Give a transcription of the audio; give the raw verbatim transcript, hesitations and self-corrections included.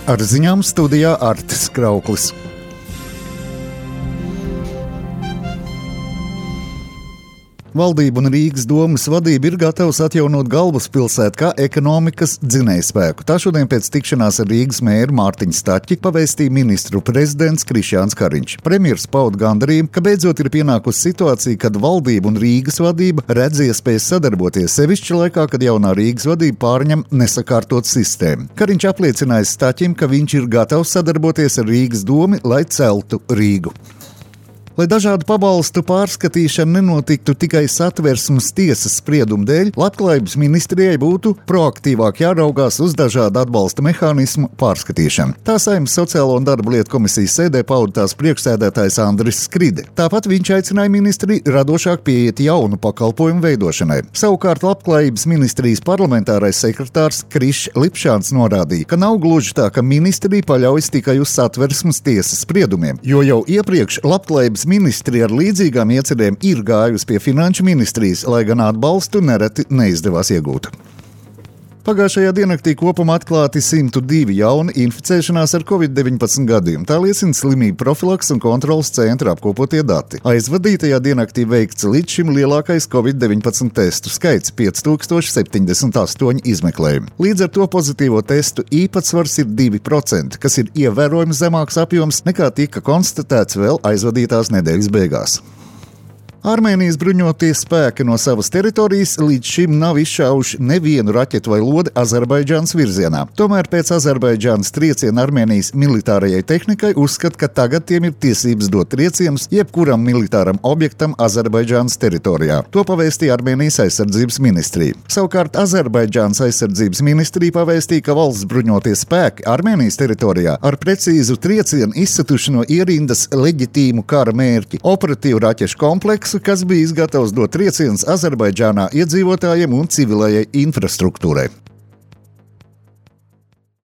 Ar ziņām studijā Artis Krauklis. Valdība un Rīgas domas vadība ir gatavs atjaunot galvaspilsētu kā ekonomikas dzinējspēku. Tā šodien pēc tikšanās ar Rīgas mēru Mārtiņu Staķi pavēstīja ministru prezidents Krišjāns Kariņš. Premjers pauda gandarījumu, ka beidzot ir pienākusi situācija, kad valdība un Rīgas vadība redz iespējas sadarboties, sevišķi laikā, kad jaunā Rīgas vadība pārņem nesakārtot sistēmu. Kariņš apliecināja Staķim, ka viņš ir gatavs sadarboties ar Rīgas domu, lai celtu Rīgu. Lai dažādu pabalstu pārskatīšana nenotiktu tikai Satversmes tiesas spriedumu dēļ, Labklājības ministrijai būtu proaktīvāk jāraugās uz dažādu atbalsta mehānismu pārskatīšanu. Tā Saeimas Sociālo un darba lietu komisijas sēdē pauda tās priekšsēdētājs Andris Skride. Tāpat viņš aicināja ministriju radošāk pieiet jaunu pakalpojumu veidošanai. Savukārt Labklājības ministrijas parlamentārais sekretārs Krišs Lipšāns norādīja, ka nav gluži tā, ka ministrija paļaujas tikai uz Satversmes tiesas spriedumiem, jo jau iepriekš Labklājības ministrija ar līdzīgām iecerēm ir gājusi pie Finanšu ministrijas, lai gan atbalstu nereti neizdevās iegūt. Pagājušajā diennaktī kopumā atklāti simt divi jauni inficēšanās ar covid deviņpadsmit gadījumi. Tā liecina slimību profilaks un kontrolas centra apkopotie dati. Aizvadītajā diennaktī veikts līdz šim lielākais covid deviņpadsmit testu skaits – pieci tūkstoši septiņdesmit astoņi izmeklējumi. Līdz ar to pozitīvo testu īpatsvars ir divi procenti, kas ir ievērojami zemāks apjoms nekā tika konstatēts vēl aizvadītās nedēļas beigās. Armēnijas bruņotie spēki no savas teritorijas līdz šim nav izšāvuši nevienu raķetu vai lodi Azerbaidžānas virzienā. Tomēr pēc Azerbaidžānas trieciena Armēnijas militārajai tehnikai uzskata, ka tagad tiem ir tiesības dot triecienus jebkuram militāram objektam Azerbaidžānas teritorijā. To pavēstīja Armēnijas aizsardzības ministrija. Savukārt Azerbaidžānas aizsardzības ministrija pavēstīja, ka valsts bruņotie spēki Armēnijas teritorijā ar precīzu triecienu izsatuši no ierindas leģitīmu kara mērķi – operatīvu raķešu kompleksu, kas bija gatavs dot triecienus Azerbaidžānā iedzīvotājiem un civilajai infrastruktūrai.